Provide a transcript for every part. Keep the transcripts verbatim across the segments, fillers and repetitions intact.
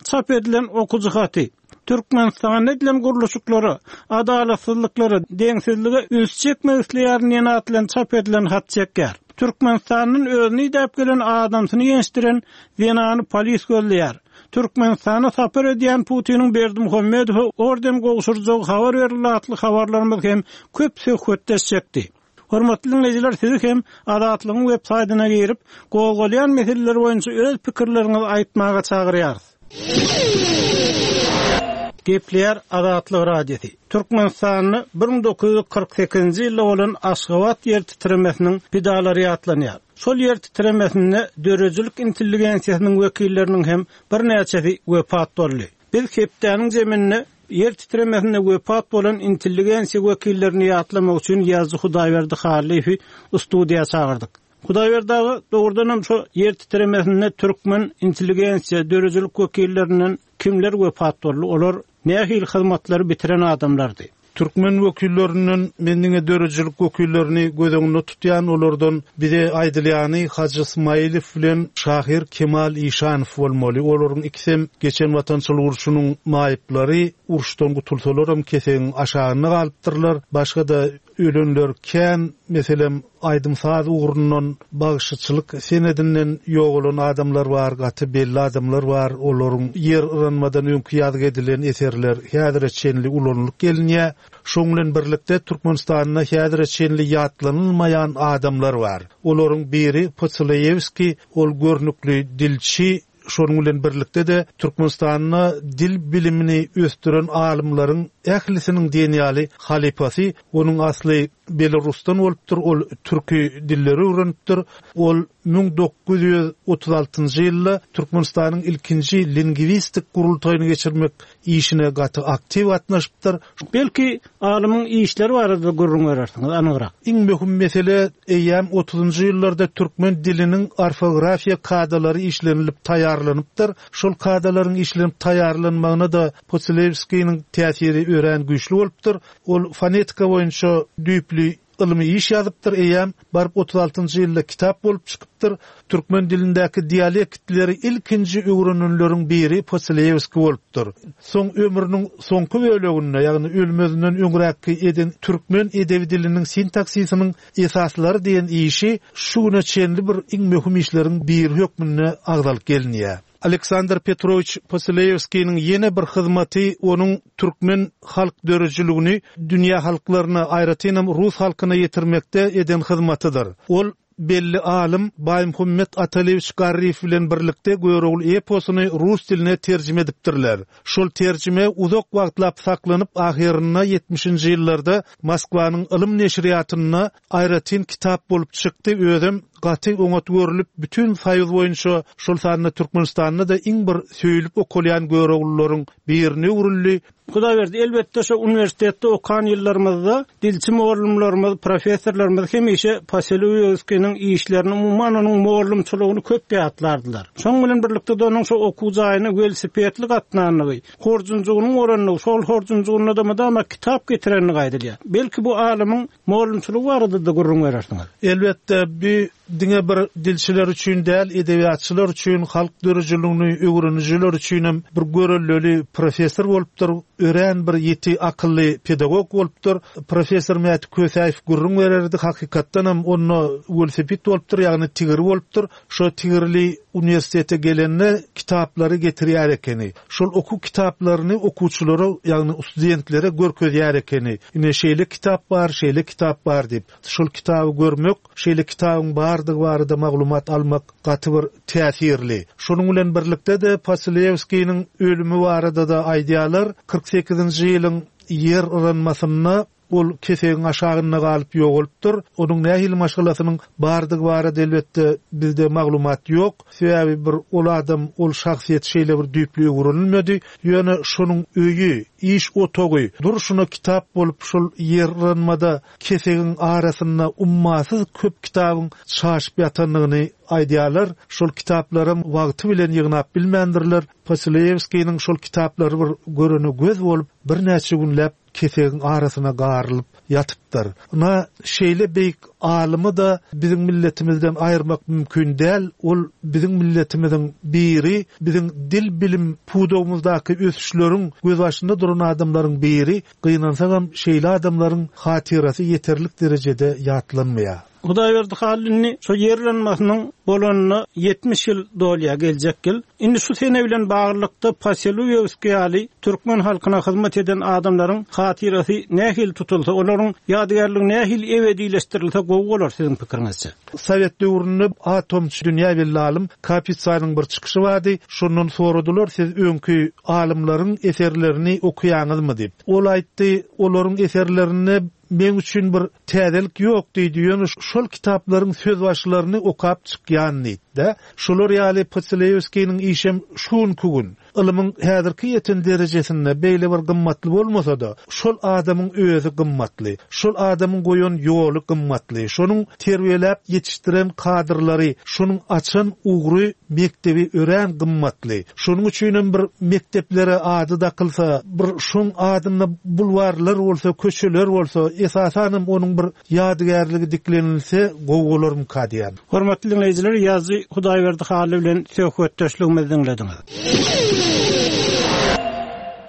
Çap edilen okyjy haty, Türkmenistanda edilen gurluşyklara, adalatsyzlyklara, deňsizlige üns çekmek isleýärin diýen at bilen çap edilen hat çekýär. Türkmenistandan özüni idäp gelen adamsyny ýençdiren zenany polis gözleýär. Türkmenistana sapar edýän Putiniň Berdimuhamedowa orden gowşurjagy habar berildi atly habarlarymyz hem köp söhbetdeş çekdi. Hormatly diňleýjiler, sizi hem Azatlygyň web saýtyna girip, gozgalýan meseleler boýunça öz pikirleriňizi aýtmaga çagyrýarys. Gepleýär Azatlyk Radiosy. Türkmenistanda bir müň dokuz ýüz kyrk sekizinji ýylda bolan Aşgabat ýer titremesiniň pidalary ýatlanýar. Şol ýer titremesinde döredijilik intelligensiýasynyň wekilleriniň hem birnäçesi wepat boldy. Biz hepdäniň jeminde ýer titremesinde wepat bolan intelligensiýa wekillerini ýatlamak üçin ýazyjy Hudaýberdi Hallyýewi studiýa çagyrdyk. Hudaýberdi aga, dogrudan hem şu ýer titremesinde türkmen intelligensiýa döredijilik wekillerinden kimler wepat boldy? Olar nähili hyzmatlary bitiren adamlardy? Türkmen wekillerinden men diňe döredijilik wekillerini göz öňünde tutýan, olardan bize aýdylýany Hajy Ismailow bilen şahyr Kemal Işanow bolmaly. Olaryň ikisem geçen watançylyk urşunyň maýyplary, uruşdan gutulsalaram kesegiň aşagynda galypdyrlar. Başga-da ölenler kän, meselem, aýdym-saz ugrundan, bagşyçylyk senedinden ýogalan adamlar bar, gaty belli adamlar bar. Olaryň ýer yranmadan öňki ýazgy edilen eserler häzire çenli ulanylyp gelinýär. Şoň bilen birlikde Türkmenistanda häzire çenli ýatlanylmaýan adamlar bar. Olaryň biri Poçileýewskiý, ol görnükli dilçi, şonuň bilen birlikde de Türkmenistanda dil bilimini ösdüren alymlaryň ählisiniň diýen ýaly halypasy. Onuň asly Belarusdan bolupdyr, ol türki dilleri öwrenipdir. Ol müň dokuz ýüz otuz altynjy ýylda Türkmenistanyň ilkinji lingwistik gurultaýyny geçirmek işine gaty aktiw gatnaşypdyr. Belki alymyň işleri barada gürrüň berersiňiz anygrak. Iň möhüm mesele eýýäm otuzynjy ýyllarda türkmen diliniň orfografiýa kadalary işlenilip taýýarlanypdyr. Şol kadalaryň işlenip taýýarlanmagyna da Poçileýewskiniň täsiri örän güýçli bolupdyr. Ol fonetika boýunça düýpli ylmy iş ýazypdyr, eýýäm baryp otuz altynjy ýylda kitap bolup çykypdyr. Türkmen dilindäki dialektleri ilkinji öwrenenleriň biri Poçileýewski bolupdyr. Soň ömrüniň soňky böleginde, ýagny ölmezinden öňräkki eden türkmen edebi diliniň sintaksisiniň esaslary diýen işi şu güne çenli bir iň möhüm işleriň biri hökmünde agzalyp gelinýär. Aleksandr Petrowiç Poçileýewskiniň ýene bir hyzmaty onuň türkmen halk döredijiligini dünýä halklaryna, aýratynam rus halkyna ýetirmekde eden hyzmatydyr. Ol belli alym Baýmuhammet Atalewiç Garryýew bilen birlikde Görogly eposyny rus diline terjime edipdirler. Şol terjime uzak wagtlap saklanyp, ahyrynda ýetmişinji ýyllarda Moskwanyň ylym neşirýatynda aýratyn kitap bolup çykdy. Özem gaty oňat görülip, bütün Soýuz boýunça, şol sanda Türkmenistanda da iň bir söýülip okalýan Göroglylaryň birine öwrüldi. Hudaýberdi, elbetde şu uniwersitetde okan ýyllarymyzda dilçi mugallymlarymyz, professorlarymyz hemişe Poçileýewskiniň işlerini, umuman onuň mugallymçylygyny köp ýatlardylar. Şoň bilen birlikde de onuň şu okuw jaýyna welosipedli gatnanlygy, horjunjygynyň oranlygy, şol horjunjygynda da mydama kitap getirenligi aýdylýar. Belki bu alymyň mugallymçylygy barada da gürrüň berersiňiz. Elbetde bu diňe bir dilçiler üçin däl, edebiýatçylar üçin, halk döredijiligini öwrenijiler üçin hem bir görelleli professor bolupdyr, örän bir ýeti akylly pedagog bolupdyr. Professor Mäti Kösäýew gürrüň bererdi, hakykatdan hem onda welosiped bolupdyr, ýagny tigiri bolupdyr. Şo tigirli uniwersitete gelende kitaplary getirýär ekeni. Şol okuw kitaplaryny okuwçylara, ýagny studentlere görkezýär ekeni. Ine şeýle kitap bar, şeýle kitap bar diýip. Şol kitaby görmek, şeýle kitabyň bardygy barada maglumat almak gaty bir täsirli. Şonuň bilen birlikde de Poçileýewskiniň ölümi barada da aýdýarlar. Kyrk sekizinji ýylyň ýer yranmasynda ol kesegiň aşagynda galyp ýogalypdyr. Onuň nähili maşgalasynyň bardygy barada elbetde bizde maglumat ýok. Sebäbi bir ol adam, ol şahsyýet şeýle bir düýpli öwrenilmedi. Ýöne şonuň öýi, iş otagy, durşuna kitap bolup şol ýer yranmada kesegiň arasynda ummasyz köp kitabyň çaşyp ýatandygyny aýdýarlar. Şol kitaplaram wagty bilen ýygnap bilmändirler. Poçileýewskiniň şol kitaplary bir görene göz bolup, birnäçe günläp kesegiň arasyna garylyp ýatypdyr. ýazypdyr. Na şeýle beýik alymy da biziň milletimizden aýyrmak mümkin däl. Ol biziň milletimiziň biri, biziň dil bilim pudagymyzdaky ösüşleriň gözbaşynda duran adamlaryň biri. Gynansagam şeýle adamlaryň hatyrasy ýeterlik derejede ýatlanmaýar. Hudaýberdi Hally indi şu ýerlenmesiniň bolanyna ýetmiş ýyl dolýar geljek ýyl. Indi şu sene bilen baglylykda Poseluýewski ýaly türkmen halkyna hyzmat eden adamlaryň hatyrasy nähili tutulsa, olaryň ýadygärligi nähili ebedileşdirilse gowy bolar siziň pikiriňizçe? Sowet döwründe atomçy dünýä belli alym Kapitsanyň bir çykyşy bardy. Şondan soradylar, siz öňki alymlaryň eserlerini okuýaňyzmy diýip. Ol aýtdy, olaryň eserlerinde men üçin bir täzelik ýok diýdi. Ýöne şol kitaplaryň söz başlaryny okap çykýan diýdi. Şolar ýaly Poselewskiniň işem şu günki gün ylmyň häzirki ýeten derejesinde beýle bir gymmatly bolmasa da, şol adamyň özi gymmatly. Şol adamyň goýan ýoly gymmatly. Şonuň terbiýeläp ýetişdiren kadrlary, şonuň açan ugry mekdebi örän gymmatly. Şonuň üçin hem bir mekdeplere ady dakylsa, bir şoň adynda bulwarlar bolsa, köçeler bolsa, esasan hem onuň bir ýadygärligi diklenilse gowy bolarmyka diýen. Hormatly dinleýjiler, ýazyjy Hudaýberdi Hally bilen söhbetdeşligimizi diňlediňiz.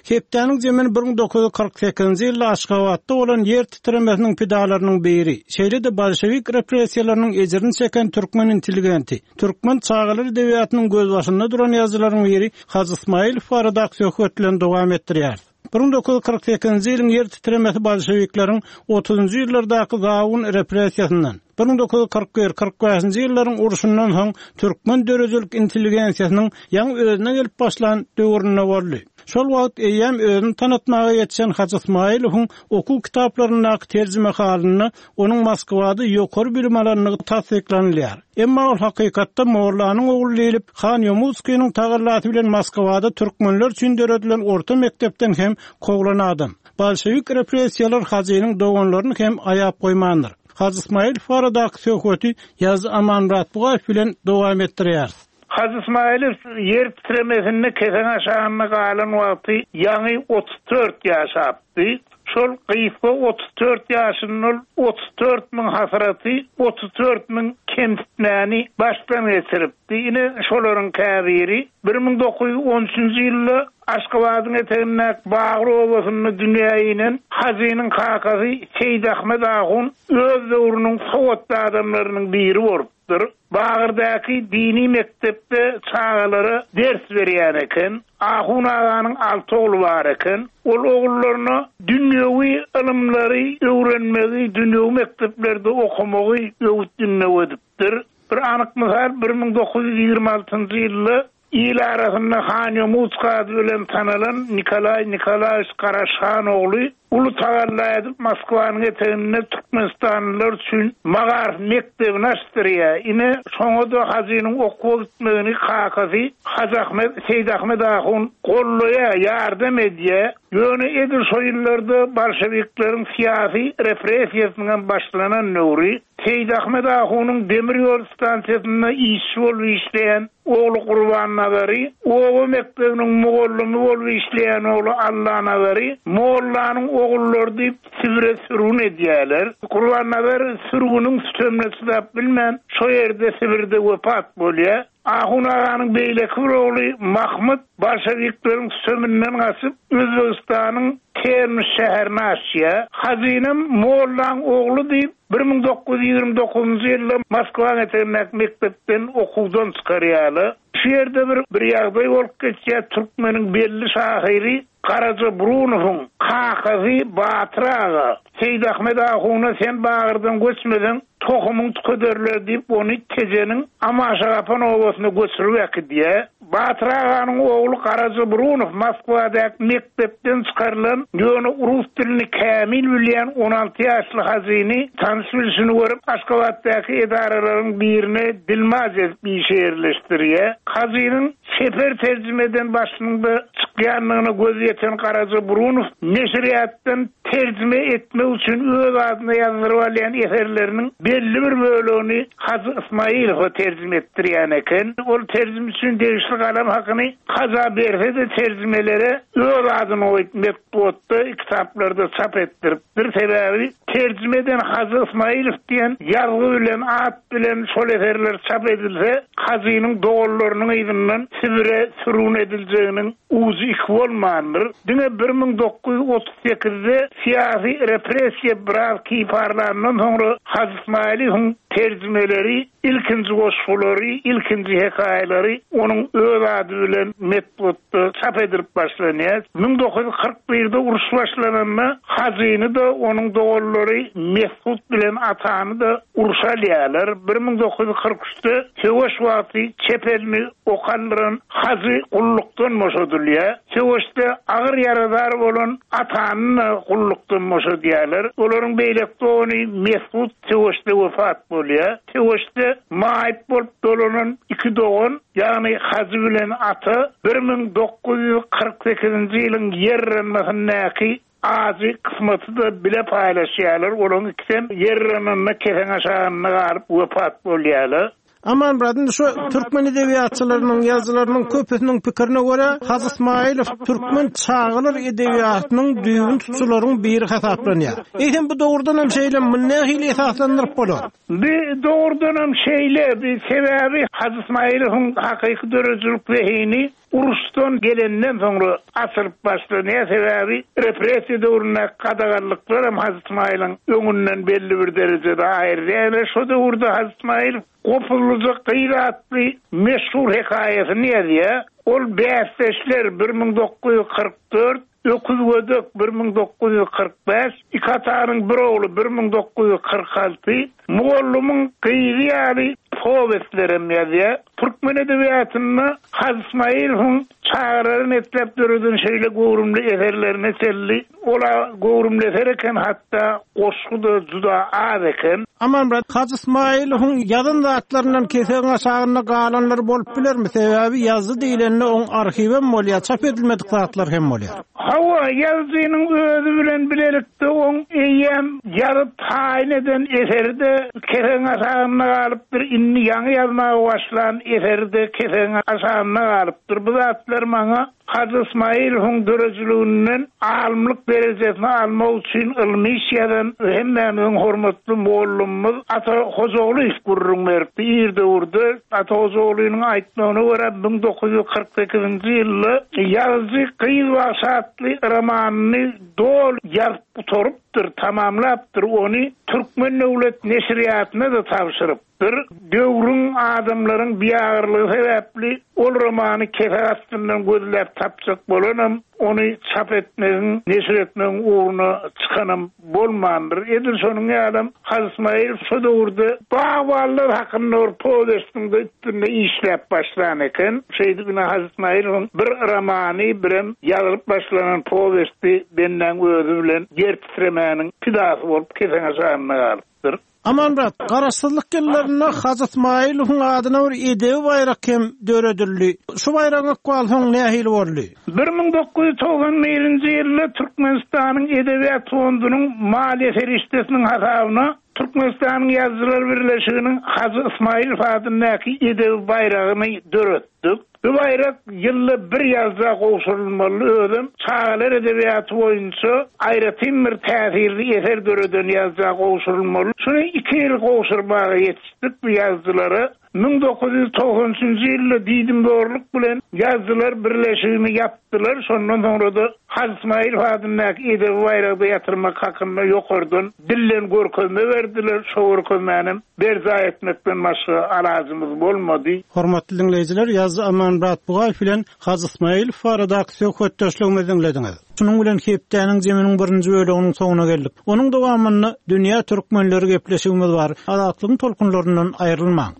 Hepdäniň jemini bir müň dokuz ýüz kyrk sekizinji ýylda Aşgabatda bolan ýer titremesiniň pidalarynyň biri, şeýle-de bolşewik repressiýalarynyň ejirini çeken türkmen intelligenti, türkmen çagalar edebiýatynyň gözbaşynda duran ýazyjylaryň biri Hajy Ismailow baradaky söhbet bilen dowam etdirýär. Bir müň dokuz ýüz kyrk sekizinji ýylyň ýer titremesi bolşewikleriň otuzynjy ýyllardaky zawun repressiýasyndan, bir müň dokuz ýüz kyrk bir, kyrk bäşinji ýyllaryň urşundan soň türkmen döredijilik intelligensiýasynyň ýaňy özüne gelip başlan döwründe boldy. Şol wagt eýýäm özüni tanatmaga ýetişen Hajy Ismailowyň okuw kitaplaryndaky terjime halynda onuň Moskwada ýokary bilim alandygy tassyklanylýar. Emma ol hakykatda Mollanyň ogly diýlip, Han Ýomutskiniň tagallasy bilen Moskwada türkmenler üçin döredilen orta mekdepden hem kowlan adam. Bolşewik repressiýalar Hajynyň doganlaryny hem aýap goýmandyr. Hajy Ismailow baradaky söhbeti ýazyjy Amanmyrat Bugaýew bilen dowam etdirýär. Hajy Ismailow ýer titremesinde kesen aşagynda galan wagty ýaňy otuz dört ýaşapdy. Şol gysga otuz dört ýaşynda otuz dört müň hasraty, otuz dört müň kemsitmäni başdan geçiripdi. Ine şolaryň käbiri bir müň dokuz ýüz on üçünji ýylda Aşgabadyň etegindäki Bagry obasynda dünýä inen Hajynyň kakasy Seýid Ahmet Ahun öz döwrüniň sowatly adamlarynyň biri bolupdyr. Bagyrdaky dini mekdepde çagalara ders berýän eken. Ahun aganyň alty ogly bar eken. Ol ogullaryna dünýewi ylymlary öwrenmegi, dünýewi mekdeplerde okamagy öwüt-ündew edipdir. Bir anyk mysal, bir müň dokuz ýüz ýigrimi altynjy ýylda il arasynda Han Ýomutsk ady bilen tanalan Nikolaý Nikolaýewiç Garaşhan ogly uly tagalla edip Moskwanyň eteginde Türkmenistanlylar üçin magarif mekdebini açdyrýar. Ine şoňa da Hajynyň okuwa gitmegini kakasy Hajy Ahmet, Seýid Ahmet Ahun gollaýar, ýardam edýär. Ýöne edil şo ýyllarda bolşewikleriň syýasy repressiýasynyň hem başlanan döwri Seýid Ahmet Ahunyň demir ýol stansiýasynda işçi bolup işleýän ogly Gurban Nazary, oba mekdebiniň mugallymy bolup işleýän ogly Allah Nazary, Mollanyň ogullary diýip Sibire sürgün edýärler. Gurban Nazar sürgünüň sütemine çydap bilmän, şo ýerde Sibirde wepat bolýar. Ahun aganyň beýleki bir ogly Mahmut bolşewikleriň süteminden gaçyp Özbegistanyň Termiz şäherine açýar. Hajynam Mollaň ogly diýip bir müň dokuz ýüz ýigrimi dokuzynjy ýylda Moskwanyň etegindäki mekdepden okuwdan çykarýarlar. Şu ýerde bir, bir ýagdaý bolup geçýär. Türkmeniň belli şahyry Garaja Brunowyň kakasy Batyr aga Seýid Ahmet Ahuna sen Bagyrdan göçmesen tohumyň tükederler diýip ony Tejeniň Amaşagapan obasyna göçürip äkidýär. Batyr aganyň ogly Garaja Brunow Moskwadaky mekdepden çykarylan ýöne rus dilini kämil bilýän on alty ýaşly Hajyny tanyş bilişini görüp Aşgabatdaky edaralaryň birine dilmaç edip işe ýerleşdirýär. Hajynyň Çeper terjimeden başynda çykýanlygyna göz ýeten Garaja Burunow neşirýatdan terjime etmek üçin öz adyna ýazdyryp alýan eserleriniň belli bir bölegini Hajy Ismailowa terjime etdirýän eken. Ol terjime üçin degişli galam hakyny Haja berse-de terjimelere öz adyny goýup metbugatda, kitaplarda çap etdiripdir. Sebäbi terjimeden Hajy Ismailow diýen ýazgy bilen, at bilen şol eserler çap edilse, Hajynyň doganlarynyň yzyndan Sibire sürgün ediljeginiň ujy iki bolmandyr. Diňe bir müň dokuz ýüz otuz sekizde syýasy repressiýa biraz kiparlandan soňra Hajy Ismailowyň terjimeleri, ilkinji goşgulary, ilkinji hekaýalary onuň öz ady bilen metbugatda çap edilip başlanýar. Müň dokuz ýüz kyrk birde uruş başlananda Hajyny-da onuň doganlary Mesut bilen Atany-da uruş alýarlar. Bir müň dokuz ýüz kyrk üçde söweş wagty çep elini okandyran Hajy gullukdan boşadylýar. Söweşde agyr ýaradar bolan Atany-da gullukdan boşadýarlar. Olaryň beýleki dogany Mesut söweşde wefat bolýar. Söweşde maýyp bolup dolanan iki dogan, ýagny Hajy bilen Ata bir müň dokuz ýüz kyrk sekizinji ýylyň ýer yranmasyndaky ajy kysmaty-da bile paýlaşýarlar. Olaryň ikisem ýer yrananda kesen aşagynda galyp wefat bolýarlar. Amanmyrat, indi şu türkmen edebiýatçylarynyň, ýazyjylarynyň köpüsiniň pikirine görä, Hajy Ismailow türkmen çagalar edebiýatynyň düýbün tutujylaryň biri hasaplanýar. Eýsem bu dogrudan hem şeýle, muny nähili esaslandyryp bolar? Bu dogrudan hem şeýle, bir sebäbi Hajy Ismailowyň hakyky döredijilik zehini uruşdan gelenden soňra açylyp başlanýar. Sebäbi repressiýa döwründe gadaganlyklar hem Hajy Ismailyň öňünden belli bir derejede aýrylýar. Şo döwürde Hajy Ismail Gopuzlyja gyz atly meşhur hekaýasyny ýazýar. Ol bäsdeşler bir müň dokuz ýüz kyrk dört, Öküz gödek bir müň dokuz ýüz kyrk bäş, iki atanyň bir ogly bir müň dokuz ýüz kyrk alty, Mugallymyň gyzy ýaly powestlerem ýazýar. Türkmen edebiýatynda Hajy Ismailowyň çagalaryny etläp döreden şeýle göwrümli eserlerine çenli, ola göwrümli eser eken, hatda goşgy-da juda az eken. Amanmyrat, Hajy Ismailowyň ýazan zatlaryndan kesegiň aşagynda galanlar bolup bilermi? Sebäbi ýazdy diýlende oň arhiwem bolýar, çap edilmedik zatlar hem bolýar. Hawa, ýazyjynyň özi bilen bilelikde oň eýýäm ýazyp taýyn eden eseri-de kesegiň aşagynda galypdyr. Indi ýaňy ýazmaga başlan eseri-de kesegiň aşagynda galypdyr. Bu zatlar maňa Hajy Ismailowyň döredijiliginden alymlyk derejesini almak üçin ylmy iş ýazan hemmämiziň hormatly mugallymymyz Ata Hojagulyýew gürrüň beripdi. Ir döwürde Ata Hojagulynyň aýtmagyna görä müň dokuz ýüz kyrk sekizinji ýylda ýazyjy Gyz bagşy atly romanyny doly ýazyp gutarypdyr, tamamlapdyr. Ony Türkmen döwlet neşirýatyna-da tabşyrypdyr. Döwrüň adamlaryň biýagyrlygy sebäpli ol romany kesek astyndan gözläp tapjak bolanam, ony çap etmegiň, neşir etmegiň ugruna çykanam bolmandyr. Edil şonuň ýalam Hajy Ismail şo döwürde bagbanlar hakynda bir powestinde üstünde işläp başlan eken. Şeýdip ine Hajy Ismailowyň bir romany, birem ýazylyp başlanan powesti bendäň özi bilen ýer titremäniň pidasy bolup kesen aşagynda galypdyr. Amanmyrat, garaşsyzlyk ýyllarynda Hajy Ismailowyň adyna bir edebi baýrak hem döredildi. Şu baýragyň ykbaly soň nähili boldy? Bir müň dokuz ýüz togsan birinji ýylda Türkmenistanyň Edebiýat fondunyň maliýe serişdesiniň hasabyna Türkmenistanyň Ýazyjylar Birleşiginiň Hajy Ismailow adyndaky edebi baýragyny döretdik. Bu baýrak ýylda bir ýazja gowşurylmaly, özem çagalar edebiýaty boýunça aýratyn bir täsirli eser döreden ýazja gowşurylmaly. Şuny iki ýyl gowşurmaga ýetişdik bu ýazyjylara. Müň dokuz ýüz togsan üçünji ýylda diýdimzorluk bilen Ýazyjylar Birleşigini ýapdylar. Şondan soňra da Hajy Ismailow adyndaky edebi baýragy ýatyrmak hakynda ýokardan dillen görkezme berdiler. Şo görkezmänem berjaý etmekden başga alajymyz bolmady. Hormatly dinleýjiler, ýazyjy Amanmyrat Bugaýew bilen Hajy Ismailow baradaky söhbetdeşligimizi diňlediňiz. Şunuň bilen hepdäniň zeminiň birinji bölüminiň soňuna geldik. Onuň dowamynda Dünýä Türkmenleri gepleşigimiz bar. Azatlygyň tolkunlaryndan aýrylmaň.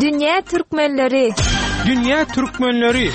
Dünýä Türkmenleri. Dünýä Türkmenleri.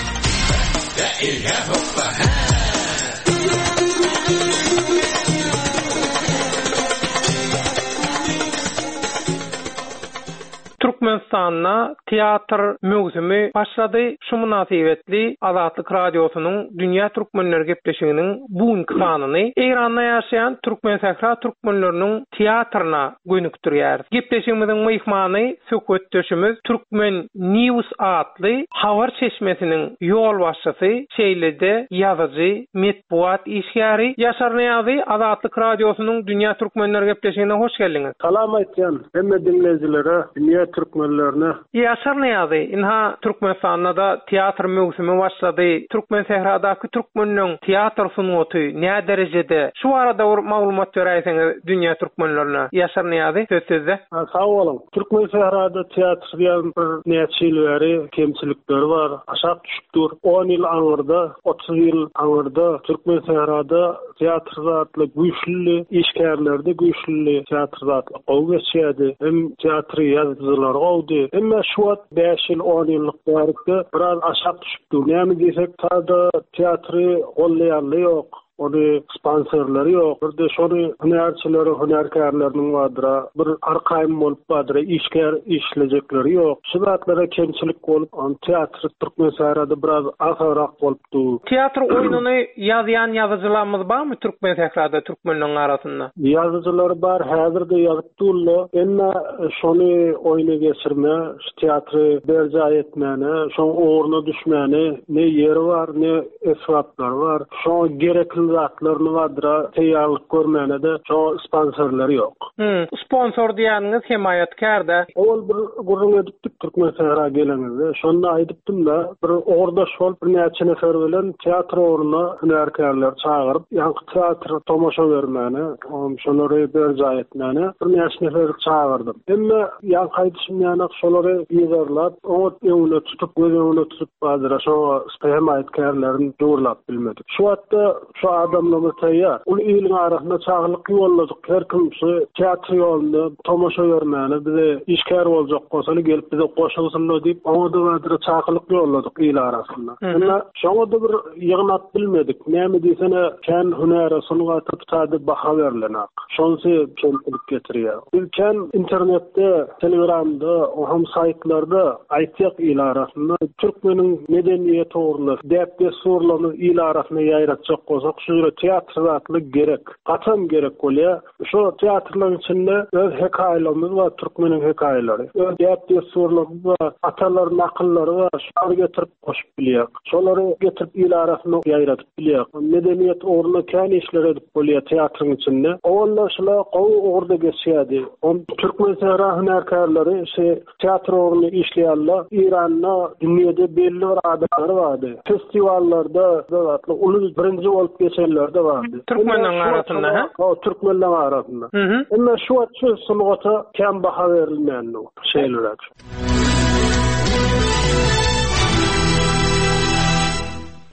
Türkmenistanda teatr möwsümi başlady. Şu mynasybetli Azatlyk Radiosynyň Dünýä Türkmenleri gepleşiginiň bu sanyny Eýranda ýaşaýan Türkmensähra türkmenleriniň teatryna gönükdirýär. Gepleşigimiziň myhmany söhbetdeşimiz Türkmen News atly habar çeşmesiniň ýolbaşçysy, şeýle-de ýazyjy, metbugat işgäri Ýaşar Nyýazy Azatlyk Radiosynyň Dünýä Türkmenleri gepleşigine hoş geldiňiz. Salam aýtýan hemme diňleýjilere, dünýä türkmenlerine. Ýaşar Nyýazy, inha Türkmenistanda da teatr möwsümi başlady. Türkmen sähradaky türkmenleň teatr sungaty nä derejede? Şu arada bir maglumat beräýseňiz dünýä türkmenlerine. Ýaşar Nyýazy, söz sizde. Ha, sag boluň. Türkmen sährada teatr diýen bir näçe ýyl bäri kemçilikleri bar. Aşak düşüp dur. on ýyl aňyrda, otuz ýyl aňyrda Türkmen sährada teatr zatly güýçli işgärlerde güýçli teatr zatly gowy geçýärdi. Hem teatry ýazyjylar gowdy. Emma şu wagt bäş ýyl, on ýyllyk bärikde biraz aşak düşüp dur. Näme diýsek, tada teatry gollaýanly ýok. Ony sponsorlary ýok. Bir de şony hünärçileri, hünärkärleriniň bardyra, bir arkaýym bolup bardyra, işgär işlejekleri ýok. Şu zatlara kemçilik bolup, on teatr Türkmen sährada biraz asarak bolup dur. Teatr oýnuny ýazýan ýazyjylarymyz barmy Türkmen sährada türkmenlerin arasynda? Ýazyjylar bar, häzir de ýazyp durlar. Emma şony oýna geçirme, şu teatry berjaý etmäne, şoň ugruna düşmäne ne ýeri bar, ne esbaplary bar. Şoň gerekli zatlaryny bardyra teýýarlyk görmäne de şoň sponsorlary ýok. Hmm, sponsor diýeniňiz hemaýatkär-de. Owal bir gürrüň edipdik Türkmen sähra gelenimizde. Şonda aýdypdym da, bir ogurdaş bolup bir näçe nefer bilen teatr ugruna hünärkärler çagyryp, ýaňky teatr tomaşa bermäne, on şolary berjaý etmäne bir näçe nefer çagyrdym. Emma ýaňky aýdyşym ýaly şolary ýygarlap, oňat öňüne tutup, göz öňüne tutup bardyra şoňa hemaýatkärlerini dogurlap bilmedik. Şu wagtda şu adamlarymyz taýýar. Ol iliň arasynda çagylyk ýolladyk. Her kim şu teatr ýolunda tomaşa bermäne bize işgär boljak bolsa gelip bize goşulsynlar diýip, oňa da bardyra çagylyk ýolladyk il arasynda. Emma şoňa da bir ýygnap bilmedik. Näme diýsene, kän hünäre sungata tutada baha berlenak. Şonsy kemçilik getirýär. Biz kän internetde, Telegramda, hem saýtlarda aýtýak il arasynda türkmeniň medeniýeti ugrunda däp-dessurlaryny il arasynda ýaýratjak bolsak, şu ýere teatr zatly gerek. Gatam gerek bolýar. Şu teatrlaryň içinde öz hekaýalarymyz bar, türkmeniň hekaýalary. Öz däp-dessurlarymyz bar, atalar nakyllary bar, şolary getirip goşup bilýär. Şolary getirip il arasynda ýaýradyp bilýär. Medeniýet ugrunda kän işler edip bolýar teatryň içinde. Owallar şolar gowy ugurda geçýärdi. On Türkmen sähra hünärkärleri şu teatr ugrunda işleýärler. Eýranda dünýäde belli bir adamlar bardy. Festivallarda zatly uly birinji bolup geçenler de bardy. Türkmenlerin arasynda, ha? O, türkmenlerin arasynda. Hı hı. Emma şu wagt şu sungata kän baha berilmeýär şeýleräk.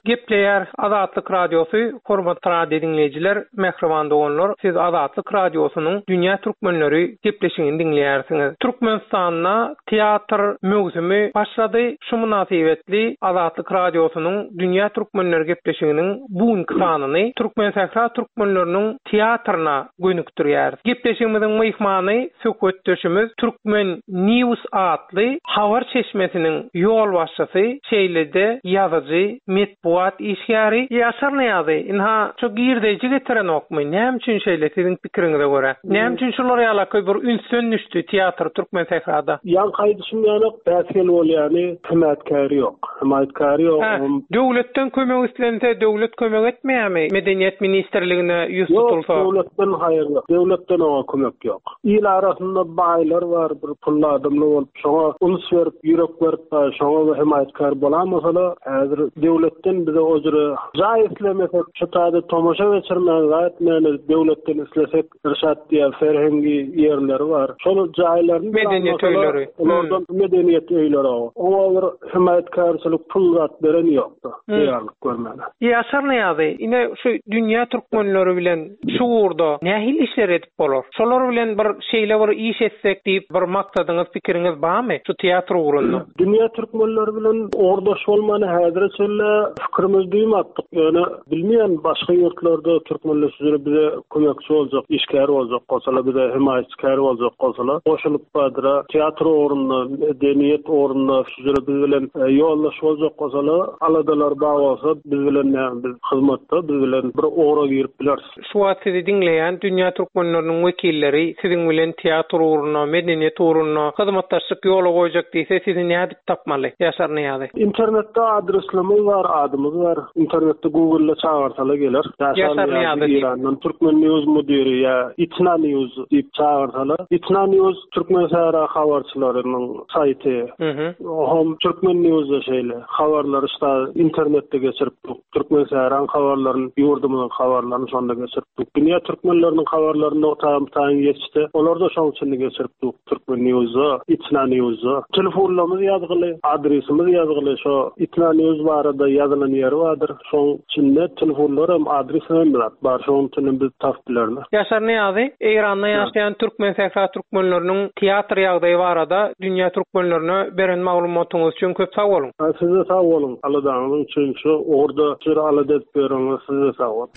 Gepleýär Azatlyk Radiosy, hormatly radio diňleýjiler, mähriban doganlar, siz Azatlyk Radiosynyň Dünýä Türkmenleri gepleşigini diňleýärsiňiz. Türkmenistanda teatr möwsümi başlady. Şu mynasybetli Azatlyk Radiosynyň Dünýä Türkmenleri gepleşiginiň bu sanyny Türkmen sähra türkmenleriniň teatryna gönükdirýär. Gepleşigimiziň myhmany söhbetdeşimiz Türkmen News atly habar çeşmesiniň ýolbaşçysy, şeýle-de ýazyjy, metbugat işgäri Ýaşar Nyýazy. Inha şu girdeýji getiren okmy? Näme üçin şeýle siziň pikiriňize görä? Näme üçin şular ýalaky bir ünsden düşdi teatr Türkmen sährada? Ýaňky aýdyşym ýaly päsgel bolýany hemaýatkäri ýok. Hemaýatkäri ýok. Ha, döwletden kömek islense döwlet kömek etmeýärmi? Medeniýet ministrligine ýüz tutulsa. Ýok, döwletden haýyr ýok. Döwletden oňa kömek ýok. Il arasynda baýlar bar, bir pully adamlar bolup, şoňa uns berip, ýürek berip, şoňa hemaýatkär bolamasa, häzir döwletden bize ojure jaý islemesek, şu taýda tomaşa geçirmän, zat etmän, döwletden islesek, Irşat diýen serhengi ýerleri bar. Şol jaýlaryny medeniýet öýleri, olardan medeniýet öýleri o. Oňa bir hemaýatkärçilik pul zat beren ýokdy. Taýýarlyk görmäne. Ýaşar Nyýazy, ine şu dünýä türkmenleri bilen şu ugurda nähili işler edip bolar? Şolar bilen bir şeýle bir iş etsek diýip bir maksadyňyz, pikiriňiz barmy şu teatr ugrunda? Dünýä türkmenleri bilen ugurdaş bolmany häzire çenli Pikirimiz duýmatdyk. Ýöne bilmeýän başga ýurtlarda türkmenler şujere bize kömekçi boljak, işgär boljak bolsalar, bize hemaýatkär boljak bolsalar, goşulyp badyra teatr ugrunda, medeniýet ugrunda şujere biz bilen e, ýoldaş boljak bolsalar, aladalar bar bolsa, biz bilen näme biz hyzmatda, biz bilen bir ugra girip bileris. Şu wagt sizi diňleýän dünýä türkmenleriniň wekilleri siziň bilen teatr ugrunda, medeniýet ugrunda hyzmatdaşlyk ýola goýjak diýse, sizi nädip tapmaly? Ýaşar Nyýazy. Internetde adreslerimiz bar, adymyz bar. Internetde Google'da çağırsalar geler. Ýaşar Nyýazy diýip. İrandan Türkmen News müdiri ýa Itna News diýip çağırsalar. Itna News Türkmen Sahra habarçylarynyň saýty. Mhm. Hom Türkmen News'da şeýle habarlary işte internetde geçirip dur. Türkmen Sahraň habarlaryny, ýurdumyzyň habarlaryny şonda geçirip dur. Dünýä türkmenleriniň habarlaryny nokta taýyn geçdi. Olar da şoň üçin geçirip dur. Türkmen News'da, Itna News'da. Telefonlarymyz ýazgyly, adresimiz ýazgyly. Şo Itna News barada ýazylan ýeri bardyr. Şoň içinde telefonlar hem adres hem bar. Şoň üçin biz tapyp bilerler. Ýaşar Nyýazy, Eýranda ýaşaýan Türkmen Sahra türkmenleriniň teatr ýagdaýy barada dünýä türkmenlerine beren maglumatyňyz üçin köp sag boluň. Ha, Size sag boluň. Aladaňyz üçin şu ugurda şur alada edip beriňiz. Size sag boluň.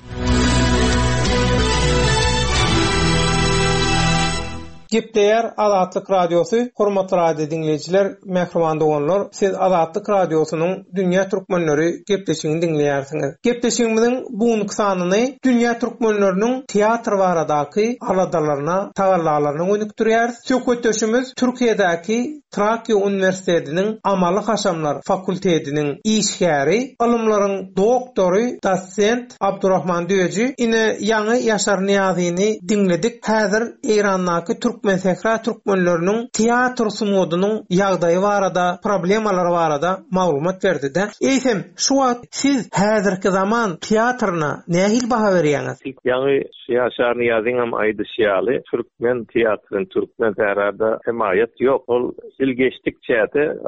Gepleýär Azatlyk Radiosy, hormatly radio diňleýjiler, mähriban doganlar, siz Azatlyk Radiosynyň Dünýä Türkmenleri gepleşigini diňleýärsiňiz. Gepleşigimiziň bu sanyny Dünýä Türkmenleriniň teatr baradaky aladalaryna, tagallalaryna gönükdirýäris. Söhbetdeşimiz Türkiýedäki Trakya Uniwersitetiniň Amaly Haşamlar fakultetiniň işgäri, ylymlaryň doktory, dosent Abdurrahman Düýeji ine ýaňy Ýaşar Nyýazyny diňledik. Häzir Eýrandaky Türkmen Sehra türkmenleriniň teatr sungatynyň ýagdaýy barada, problemalary barada maglumat berdi-de. Eýsem, şu wagt siz häzirki zaman teatryna nähili baha berýäňiz? Ýaňy Ýaşar Nyýazyň aýdyşy ýaly türkmen teatryn, türkmen sährada hemaýat ýok. Ol ýyl geçdikçe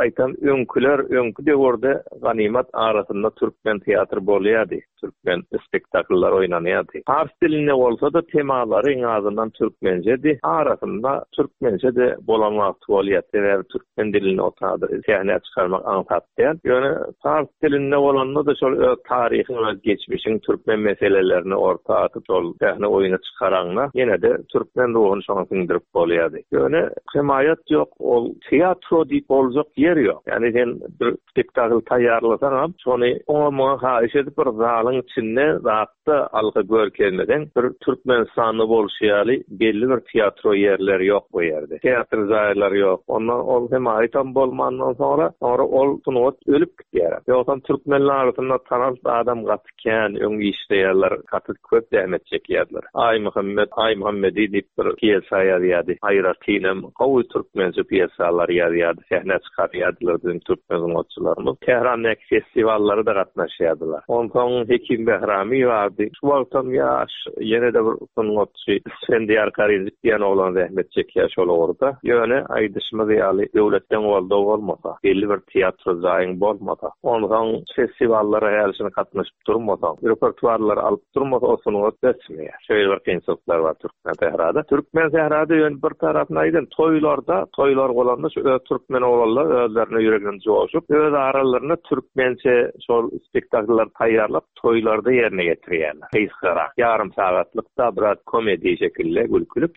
aýtan öňküler, öňkü döwürde ganymat arasynda türkmen teatr bolýardy. Türkmen spektakllar oýnanýardy. Pars dilinde bolsa da temalary iň azyndan türkmenjedi. Arasynda türkmençe de bolan wagty bolýar. Sebäbi türkmen dilini otady sähnä çykarmak aňsat däl. Ýöne pars dilinde bolanda da şol öz taryhyň, öz geçmişiň türkmen meselelerini orta atyp şol sähne oýuna çykaranda ýene de türkmen ruhuny şoňa siňdirip bolýardy. Ýöne hemaýat ýok, ol teatro diýip boljak ýer ýok. Ýani sen bir spektakl taýýarlasaň hem şony oňa muňa haýyş edip bir zalyň içinde zatda alga görkezmeden bir Türkmenistanda bolşy ýaly belli bir teatro ýerleri ýok bu ýerde. Teatr jaýlary ýok. Ondan ol hemaýat bolmandan soňra, soňra ol sungat ölüp gitýär. Ýogsam türkmenler arasynda tanalt adam gaty kän öň işleýärler, gaty köp zähmet çekýärler. Aý Muhammed, Aý Muhammedi diýip bir pýesa ýazýardy. Aýratynam gowy türkmençe pýesalar ýazýardy, sähne çykarýardylar biziň türkmen sungatçylarymyz. Tährandäki festiwallara da gatnaşýardylar. Onsoň Hekim Behrami bardy. Şu wagtam ýaş ýene de bir sungatçy Isfendiyar Karinjik diýen oglan zähmet çekýär şol ugurda. Ýöne aýdyşymyz ýaly döwletden goldaw bolmasa, belli bir teatr jaýyň bolmasa, onsoň festiwallara hälişini gatnaşyp durmasa, repertuarlary alyp durmasa o sungat ösmeýär. Şeýle bir kynçylyklar bar Türkmen sährada. Türkmen sährada ýöne bir tarapyna aýdan toýlarda, toýlar bolanda şu öz türkmen oglanlar özlerine ýüregini joşup, öz aralarynda türkmençe şol spektakllar taýýarlap toýlarda ýerine getirýärler. Gysgarak, ýarym sagatlykda biraz komedi şekilde gülkülip.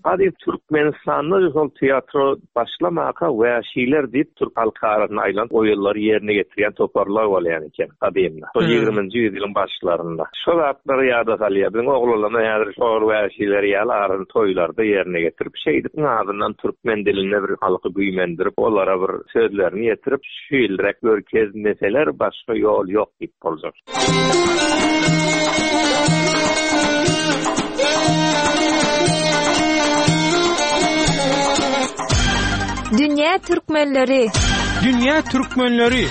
Hadi Türkmenistanda şol teatro başlamaka wäşiler diýip Türk halk arasynda aýlan oýunlary ýerine getirýän toparlar bolýan eken gadymda. Şol ýigriminji ýylyň başlarynda. Şol zatlary ýada salýar. Biziň oglanlar häzir şol wäşiler ýaly arasynda toýlarda ýerine getirip, şeýdip azyndan türkmen dilinde bir halky güýmendirip, olara bir sözlerini ýetirip, şu ýylrek görkezmeseler başga ýol ýok diýip boljak. Dünýä Türkmenleri. Dünýä Türkmenleri.